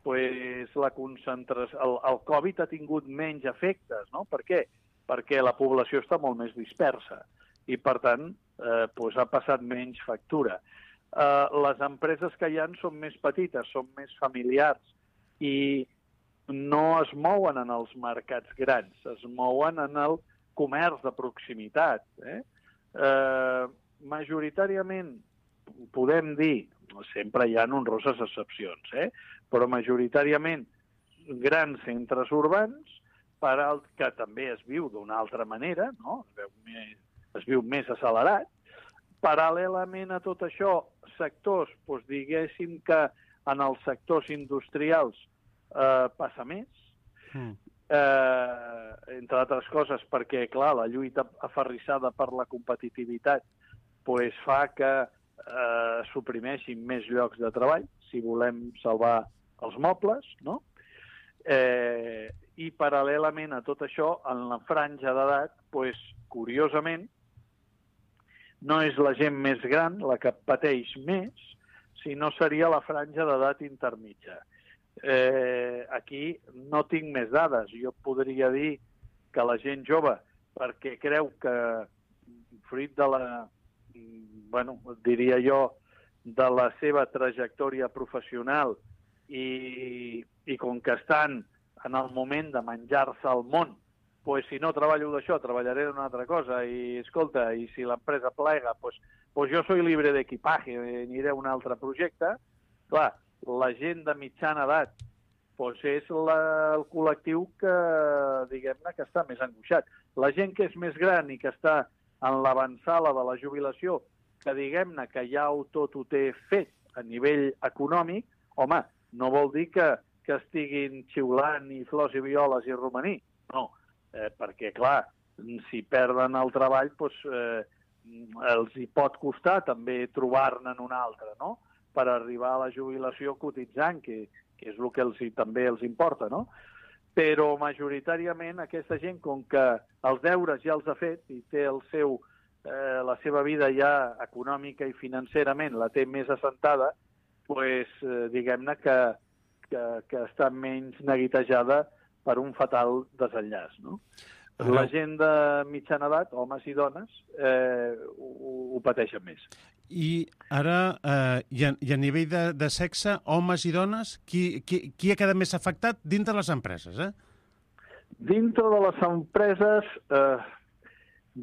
pues la concentració, el, el Covid ha tingut menys efectes, no? Per què? Perquè la població està molt més dispersa i, per tant, eh, pues ha passat menys factura. Eh, les empreses que hi ha són més petites, són més familiars i no es mouen en els mercats grans, es mouen en el comerç de proximitat. Eh? Eh, majoritàriament, podem dir, sempre hi ha honroses excepcions, eh? però majoritàriament grans centres urbans, per al que també es viu d'una altra manera, no? es, veu més, es viu més accelerat. Paral·lelament a tot això, sectors, doncs diguéssim que en els sectors industrials eh, passa més, mm. eh, entre altres coses perquè, clar, la lluita aferrissada per la competitivitat pues, fa que eh, suprimeixin més llocs de treball, si volem salvar els mobles, no? Eh, I paral·lelament a tot això, en la franja d'edat, pues, curiosament, no és la gent més gran la que pateix més, sinó seria la franja d'edat intermitja. Eh, aquí no tinc més dades. Jo podria dir que la gent jove, perquè creu que, fruit de la, bueno, diria jo, de la seva trajectòria professional i, i com que estan en el moment de menjar-se el món, pues, si no treballo d'això, treballaré d'una altra cosa, i escolta, i si l'empresa plega, pues, pues jo soy libre d'equipaje, aniré a un altre projecte. Clar, la gent de mitjana edat pues és la, el col·lectiu que, diguem-ne, que està més angoixat. La gent que és més gran i que està en l'avançada de la jubilació, que diguem-ne que ja ho tot ho té fet a nivell econòmic, home, no vol dir que, que estiguin xiulant i flors i violes i romaní. No, eh, perquè, clar, si perden el treball, doncs, eh, els hi pot costar també trobar-ne un altre, no?, per arribar a la jubilació cotitzant, que, que és el que els, també els importa, no? Però majoritàriament aquesta gent, com que els deures ja els ha fet i té el seu, eh, la seva vida ja econòmica i financerament la té més assentada, pues, eh, diguem-ne que, que, que està menys neguitejada per un fatal desenllaç, no? Ara... La gent de mitjana edat, homes i dones, eh, ho, ho pateixen més. I ara, eh, i, a, i a nivell de, de sexe, homes i dones, qui, qui, qui ha quedat més afectat dintre les empreses, eh? Dintre de les empreses, eh,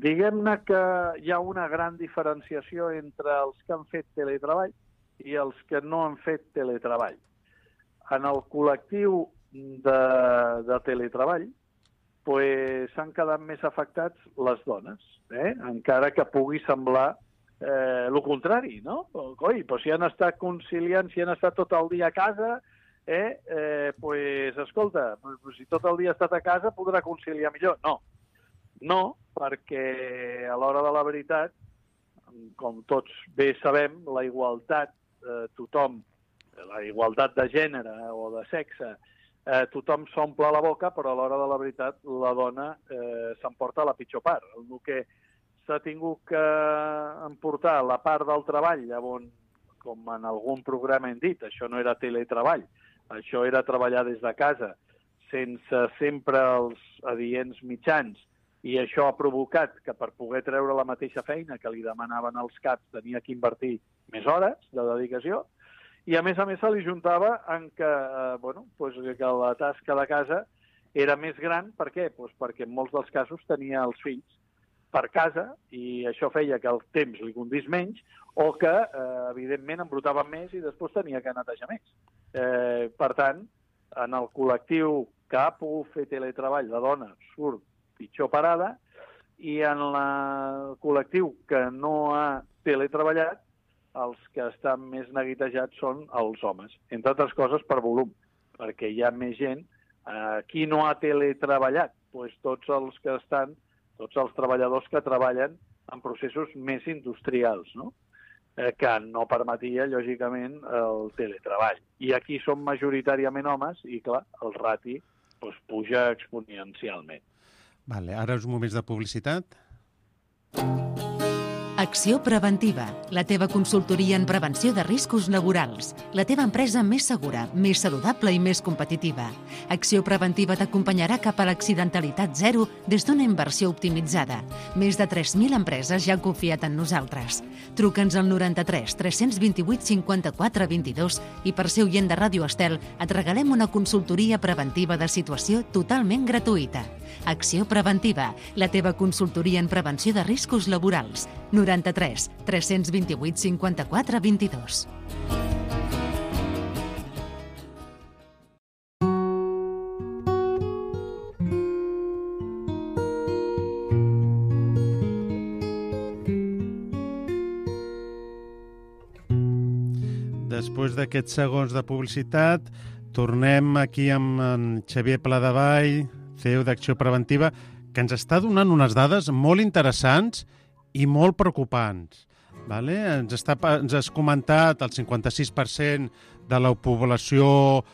diguem-ne que hi ha una gran diferenciació entre els que han fet teletreball i els que no han fet teletreball. En el col·lectiu de, de teletreball pues, s'han quedat més afectats les dones, eh? Encara que pugui semblar eh, el contrari, no? Coi, però si han estat conciliant, si han estat tot el dia a casa, eh, eh, pues, escolta, pues, si tot el dia ha estat a casa podrà conciliar millor. No, no, perquè a l'hora de la veritat, com tots bé sabem, la igualtat, eh, tothom, la igualtat de gènere o de sexe, eh, tothom s'omple la boca, però a l'hora de la veritat la dona eh, s'emporta la pitjor part. El que s'ha tingut que emportar la part del treball, llavors, com en algun programa hem dit, això no era teletreball, això era treballar des de casa, sense sempre els adients mitjans, i això ha provocat que per poder treure la mateixa feina que li demanaven els caps tenia que invertir més hores de dedicació, i a més a més se li juntava en que, eh, bueno, pues que la tasca de casa era més gran. Per què? Pues perquè en molts dels casos tenia els fills per casa i això feia que el temps li condís menys o que, eh, evidentment, embrutava més i després tenia que netejar més. Eh, per tant, en el col·lectiu que ha pogut fer teletreball, la dona surt pitjor parada, i en el col·lectiu que no ha teletreballat, els que estan més neguitejats són els homes, entre altres coses per volum, perquè hi ha més gent. Eh, qui no ha teletreballat? Pues tots els que estan, tots els treballadors que treballen en processos més industrials, no? Eh, que no permetia, lògicament, el teletreball. I aquí són majoritàriament homes i, clar, el rati pues, puja exponencialment. Vale, ara uns moments de publicitat. Acció Preventiva, la teva consultoria en prevenció de riscos laborals. La teva empresa més segura, més saludable i més competitiva. Acció Preventiva t'acompanyarà cap a l'accidentalitat zero des d'una inversió optimitzada. Més de tres mil empreses ja han confiat en nosaltres. Truca'ns al noranta-tres tres cents vint-i-vuit cinquanta-quatre vint-i-dos i per ser oient de Ràdio Estel et regalem una consultoria preventiva de situació totalment gratuïta. Acció Preventiva, la teva consultoria en prevenció de riscos laborals. noranta-tres tres cents vint-i-vuit cinquanta-quatre vint-i-dos. Després d'aquests segons de publicitat, tornem aquí amb en Xavier Pladevall, C E O d'Acció Preventiva, que ens està donant unes dades molt interessants i molt preocupants. Vale? Ens, està, ens has comentat el cinquanta sis per cent de la població,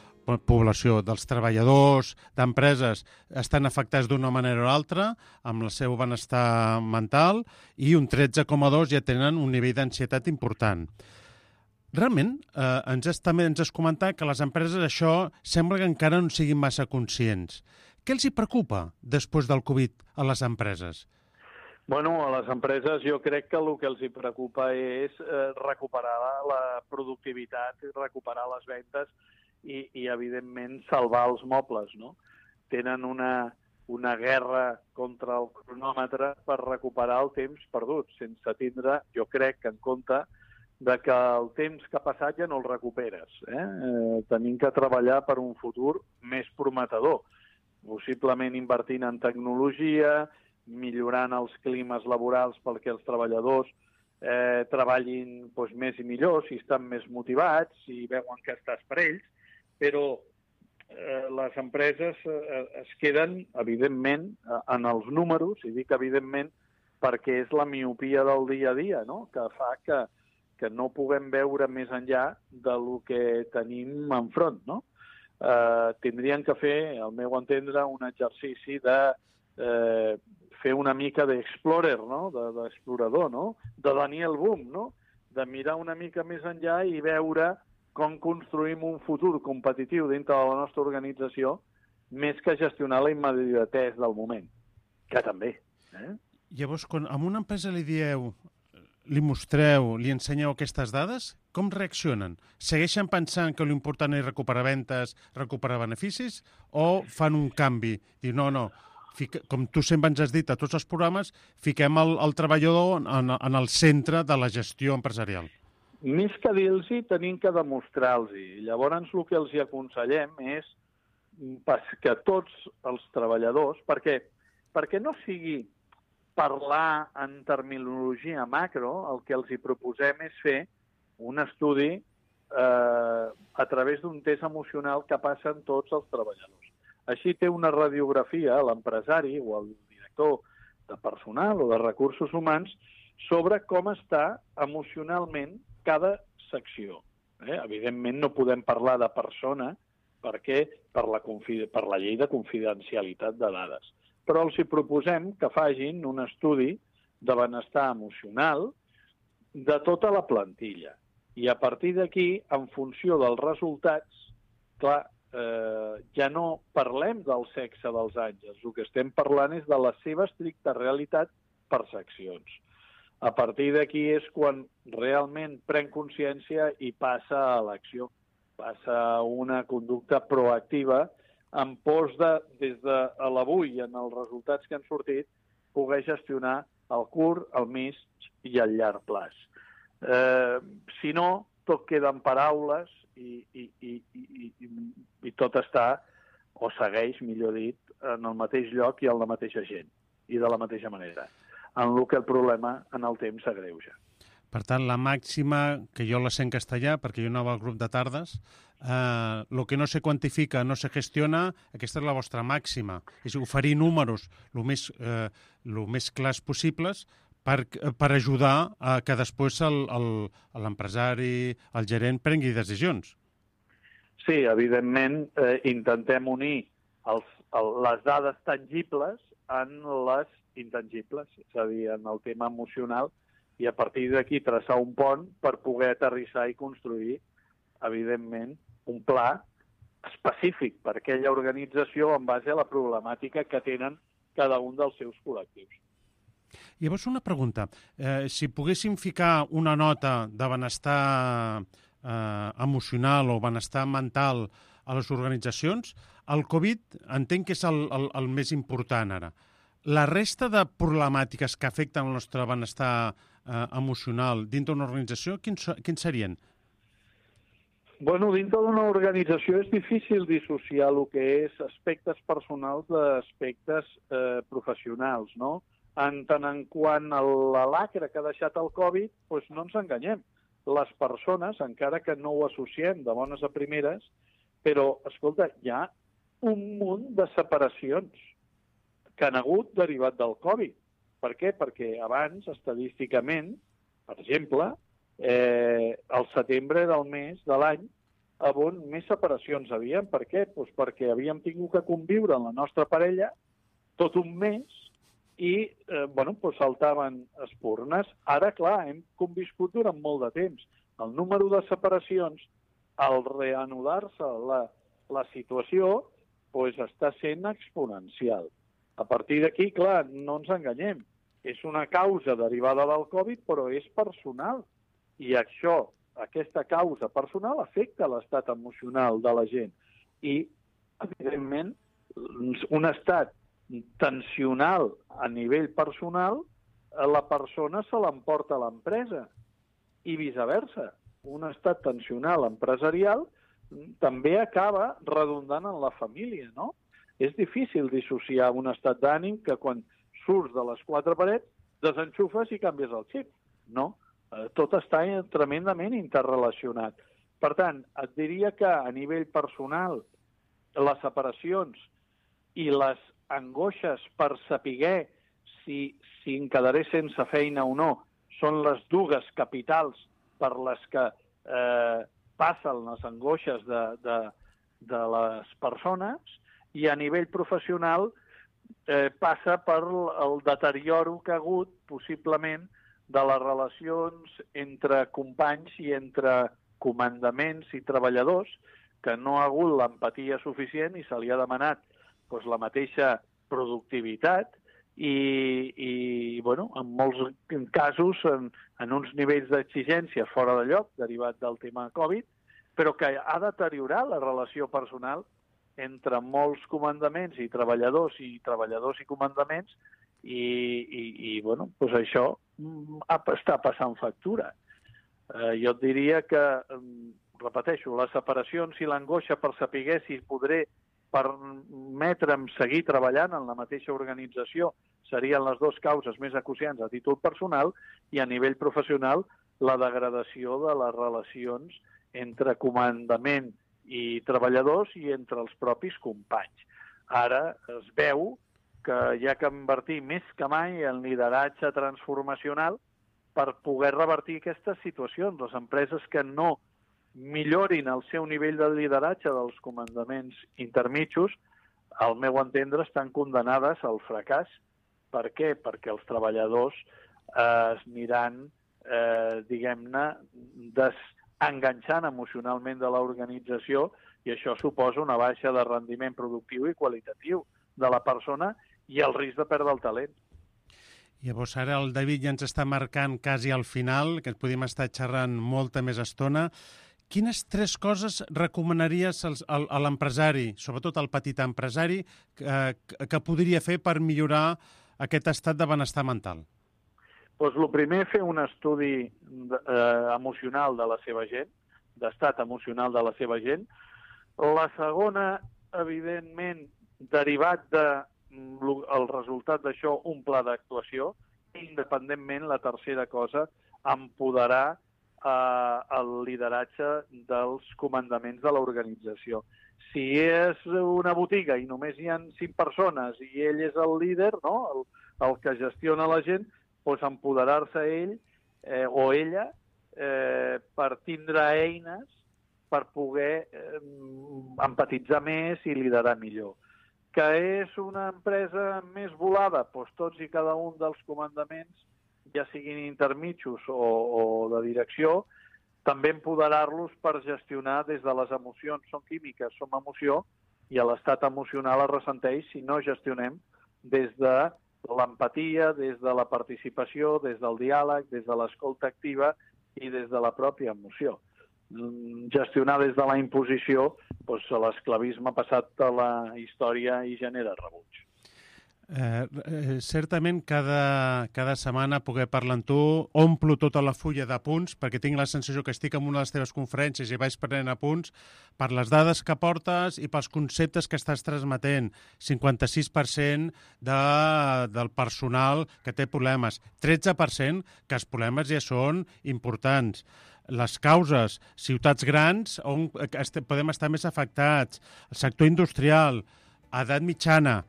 població dels treballadors d'empreses estan afectats d'una manera o altra amb el seu benestar mental i un tretze coma dos ja tenen un nivell d'ansietat important. Realment, eh, ens has, també ens has comentat que les empreses això sembla que encara no siguin massa conscients. Què els hi preocupa després del Covid a les empreses? Bueno, a les empreses jo crec que el que els hi preocupa és eh, recuperar la productivitat, recuperar les ventes i, i evidentment, salvar els mobles, no? Tenen una, una guerra contra el cronòmetre per recuperar el temps perdut, sense tindre, jo crec, en compte de que el temps que ha passat ja no el recuperes. Eh? Eh, tenim que treballar per un futur més prometedor, possiblement invertint en tecnologia, millorant els climes laborals perquè els treballadors eh, treballin doncs, més i millor, si estan més motivats, si veuen que estàs per ells, però eh, les empreses eh, es queden, evidentment, en els números, i dic evidentment perquè és la miopia del dia a dia, no? Que fa que, que no puguem veure més enllà del que tenim enfront, no? Eh, tindrien que fer, al meu entendre, un exercici de eh, fer una mica d'explorer, no? d'explorador, no? De Daniel Boom, no? De mirar una mica més enllà i veure com construïm un futur competitiu dintre de la nostra organització més que gestionar la immediatesa del moment, que també. Eh? Llavors, quan a una empresa li dieu, li mostreu, li ensenyeu aquestes dades, com reaccionen? Segueixen pensant que l'important és recuperar ventes, recuperar beneficis, o fan un canvi? Diu, no, no, fica, com tu sempre ens has dit a tots els programes, fiquem el, el treballador en, en el centre de la gestió empresarial. Més que dir-los, tenim que demostrar-los. Llavors, el que els aconsellem és que tots els treballadors, perquè, perquè no sigui parlar en terminologia macro, el que els hi proposem és fer un estudi eh, a través d'un test emocional que passen tots els treballadors. Així té una radiografia l'empresari o el director de personal o de recursos humans sobre com està emocionalment cada secció. Eh? Evidentment no podem parlar de persona perquè per la, per la llei de confidencialitat de dades. Però els hi proposem que facin un estudi de benestar emocional de tota la plantilla. I a partir d'aquí, en funció dels resultats, clar, eh, ja no parlem del sexe dels àngels, el que estem parlant és de la seva estricta realitat per seccions. A partir d'aquí és quan realment pren consciència i passa a l'acció, passa a una conducta proactiva en pos de, des de l'avui, en els resultats que han sortit, poder gestionar el curt, el mig i el llarg plaç. Eh, si no, tot queda en paraules i, i, i, i, i, i tot està, o segueix, millor dit, en el mateix lloc i en la mateixa gent, i de la mateixa manera, en el que el problema en el temps s'agreuja. Per tant, la màxima, que jo la sé en castellà, perquè jo anava al grup de tardes, eh, lo que no se quantifica, no se gestiona, aquesta és la vostra màxima. És oferir números el més, eh, lo més clars possibles per, per ajudar a que després l'empresari, el, el gerent, prengui decisions. Sí, evidentment, eh, intentem unir els, el, les dades tangibles en les intangibles, és a dir, en el tema emocional, i a partir d'aquí traçar un pont per poder aterrissar i construir, evidentment, un pla específic per a aquella organització en base a la problemàtica que tenen cada un dels seus col·lectius. Llavors, una pregunta. Eh, si poguéssim ficar una nota de benestar eh, emocional o benestar mental a les organitzacions, el Covid entenc que és el, el, el més important ara. La resta de problemàtiques que afecten el nostre benestar eh, emocional dintre d'una organització, quins, quins serien? Bueno, dintre d'una organització és difícil dissociar el que és aspectes personals d'aspectes eh, professionals, no? En tant en quant a la lacra que ha deixat el Covid, doncs no ens enganyem. Les persones, encara que no ho associem de bones a primeres, però, escolta, hi ha un munt de separacions que han hagut derivat del Covid. Per què? Perquè abans, estadísticament, per exemple, eh, el setembre era el mes de l'any on més separacions havien. Per què? Doncs perquè havíem tingut que conviure amb la nostra parella tot un mes i eh, bueno, doncs saltaven espurnes. Ara, clar, hem conviscut durant molt de temps. El número de separacions, al reanudar-se la, la situació, doncs està sent exponencial. A partir d'aquí, clar, no ens enganyem. És una causa derivada del Covid, però és personal. I això, aquesta causa personal, afecta l'estat emocional de la gent. I, evidentment, un estat tensional a nivell personal, la persona se l'emporta a l'empresa. I viceversa. Un estat tensional empresarial també acaba redundant en la família, no? És difícil dissociar un estat d'ànim que quan surts de les quatre parets desenxufes i canvies el xip. No, tot està tremendament interrelacionat. Per tant, et diria que a nivell personal les separacions i les angoixes per saber si, si em quedaré sense feina o no són les dues capitals per les que eh, passen les angoixes de, de, de les persones, i a nivell professional eh, passa per el deterioro que ha hagut, possiblement, de les relacions entre companys i entre comandaments i treballadors, que no ha hagut l'empatia suficient i se li ha demanat doncs, la mateixa productivitat i, i bueno, en molts casos, en, en uns nivells d'exigència fora de lloc, derivat del tema Covid, però que ha deteriorat la relació personal entre molts comandaments i treballadors i treballadors i comandaments i, i, i bueno, doncs això està passant factura. Eh, jo et diria que, repeteixo, les separacions i l'angoixa per saber si podré permetre'm seguir treballant en la mateixa organització serien les dues causes més acuciants a títol personal, i a nivell professional la degradació de les relacions entre comandament i treballadors i entre els propis companys. Ara es veu que hi ha que invertir més que mai en lideratge transformacional per poder revertir aquestes situacions. Les empreses que no millorin el seu nivell de lideratge dels comandaments intermitjos, al meu entendre, estan condenades al fracàs. Per què? Perquè els treballadors eh, es aniran, eh, diguem-ne, desenganxant emocionalment de l'organització, i això suposa una baixa de rendiment productiu i qualitatiu de la persona i el risc de perdre el talent. Llavors, ara el David ja ens està marcant quasi al final, que podríem estar xerrant molta més estona. Quines tres coses recomanaries als, al, a l'empresari, sobretot al petit empresari, que, que podria fer per millorar aquest estat de benestar mental? Doncs el primer, fer un estudi eh, emocional de la seva gent, d'estat emocional de la seva gent. La segona, evidentment, derivat de el resultat d'això, un pla d'actuació. Independentment, la tercera cosa, empoderar eh, el lideratge dels comandaments de l'organització. Si és una botiga i només hi ha cinc persones i ell és el líder, no? el, el que gestiona la gent, doncs empoderar-se ell eh, o ella eh, per tindre eines per poder eh, empatitzar més i liderar millor. Que és una empresa més volada? Doncs tots i cada un dels comandaments ja siguin intermitjos o, o de direcció, també empoderar-los per gestionar des de les emocions. Són químiques, som emoció, i l'estat emocional es ressenteix si no gestionem des de l'empatia, des de la participació, des del diàleg, des de l'escolta activa i des de la pròpia emoció. Gestionar des de la imposició, doncs l'esclavisme ha passat a la història i genera rebuig. Eh, eh, certament cada, cada setmana poder parlar amb tu omplo tota la fulla d'apunts perquè tinc la sensació que estic en una de les teves conferències i vaig prenent apunts per les dades que portes i pels conceptes que estàs transmetent. cinquanta-sis per cent de, del personal que té problemes, tretze per cent que els problemes ja són importants. Les causes, ciutats grans on podem estar més afectats, el sector industrial, edat mitjana.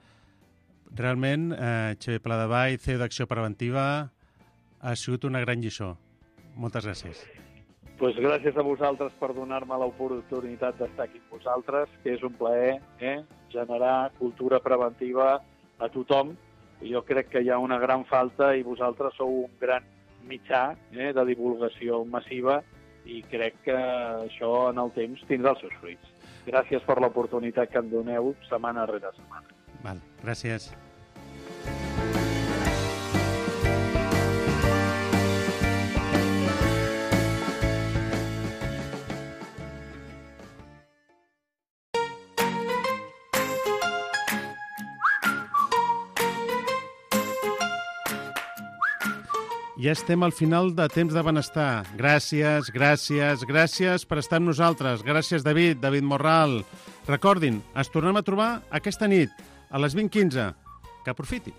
Realment, eh, Xavier Pladevall, C E O d'Acció Preventiva, ha sigut una gran lliçó. Moltes gràcies. Pues gràcies a vosaltres per donar-me l'oportunitat d'estar aquí amb vosaltres, que és un plaer eh, generar cultura preventiva a tothom. Jo crec que hi ha una gran falta i vosaltres sou un gran mitjà eh, de divulgació massiva i crec que això en el temps tindrà els seus fruits. Gràcies per l'oportunitat que em doneu setmana rere setmana. Val, gràcies. Ja estem al final de Temps de Benestar. Gràcies, gràcies, gràcies per estar amb nosaltres. Gràcies, David, David Morral. Recordin, ens tornem a trobar aquesta nit, a les vint quinze. Que aprofiti.